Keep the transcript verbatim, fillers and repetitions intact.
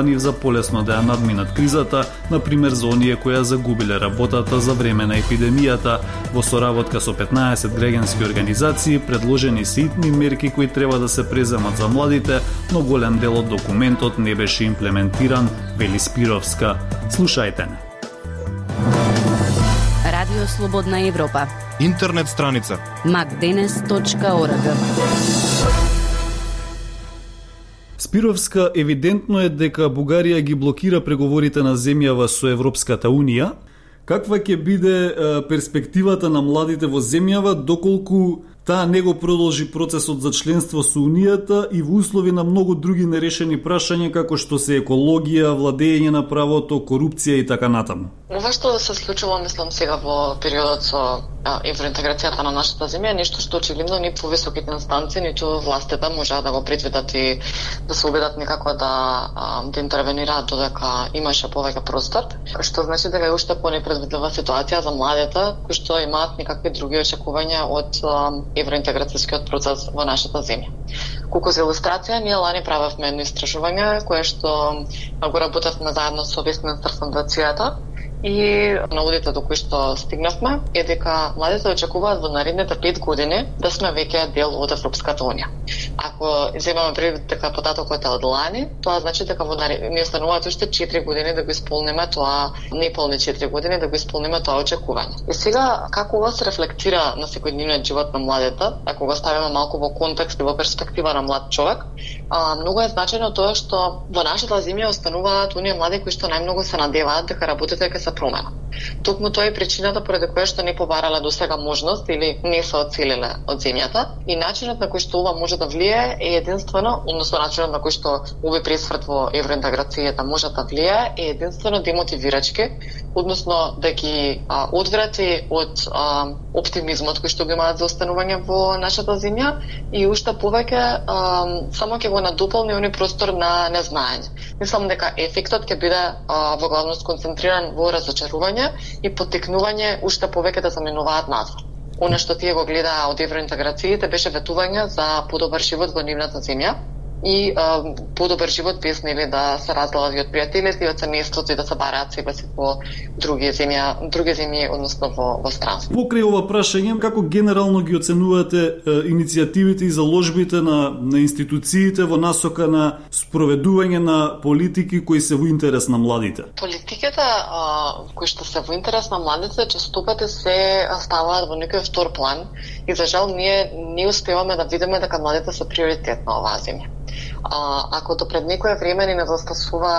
за полесно да ја надминат кризата, например за оние кои ја загубиле работата за време на епидемијата. Во соработка со петнаесет граѓански организации предложени се итни мерки кои треба да се преземат за младите, но голем дел од документот не беше имплементиран, вели Спировска. Слушајте не. Радио Слободна Европа. Интернет страница макденес точка орг. Спировска, евидентно е дека Бугарија ги блокира преговорите на земјава со Европската Унија. Каква ќе биде перспективата на младите во земјава доколку таа не го продолжи процесот за членство со Унијата и во услови на многу други нерешени прашања како што се екологија, владење на правото, корупција и така натаму? Ова што се случува, мислам, сега во периодот со евроинтеграцијата на нашата земја, нешто што очигледно ни повисоките инстанции, ниту властите можеа да го предвидат и да се убедат некако да, да интервенираат додека имаше повеќе простор, што значи дека е уште понепредвидлива ситуација за младите кои што имаат некакви други очекувања од евроинтеграцијскиот процес во нашата земја. Колку за илустрација, ние лани правевме едно истражување кое што го работевме заедно со Вестминстер фондацијата и наудите до кои што стигнавме е дека младите очекуваат во наредните пет години да сме веќе дел од Европската Унија. Ако земаме предвид дека податокот е од лани, тоа значи дека во наред... ни остануваат уште четири години да го исполниме тоа, неполни четири години да го исполниме тоа очекување. И сега како ова се рефлектира на секојдневниот живот на младите, ако го ставиме малку во контекст и во перспектива на млад човек, а, многу е значајно тоа што во нашата земја остануваат оние млади кои што најмногу се надеваат дека работите ќе се промена. Токму тоа е причината поради која што не побарале до сега можност или не се оцелиле од земјата и начинот на кој што ова може да влие е единствено, односно начинот на кој што овој пресврт во евроинтеграцијата може да влие е единствено демотивирачки, односно да ги а, одврати од а, оптимизмот кој што го имаат за останување во нашата земја и уште повеќе а, само ќе го надополни оној простор на незнаење. Мислам дека ефектот ќе биде а, во главно сконцентриран во разочарување и поттикнување уште повеќе да заменуваат надвор. Оно што тие го гледаа од евроинтеграциите беше ветување за подобар живот во нивната земја и а, подобар живот без нели да се разделат и од пријателите и од семејството и да се бараат себе си во други земја, други земји, односно во, во странство. Покрај ова прашање, како генерално ги оценувате е, иницијативите и заложбите на, на институциите во насока на спроведување на политики кои се во интерес на младите? Политиките а, кои што се во интерес на младите честопати се ставаат во некој втор план и за жал ние не успеваме да видиме дека младите се приоритет на оваа земја. А, ако до пред некое време ни недостасува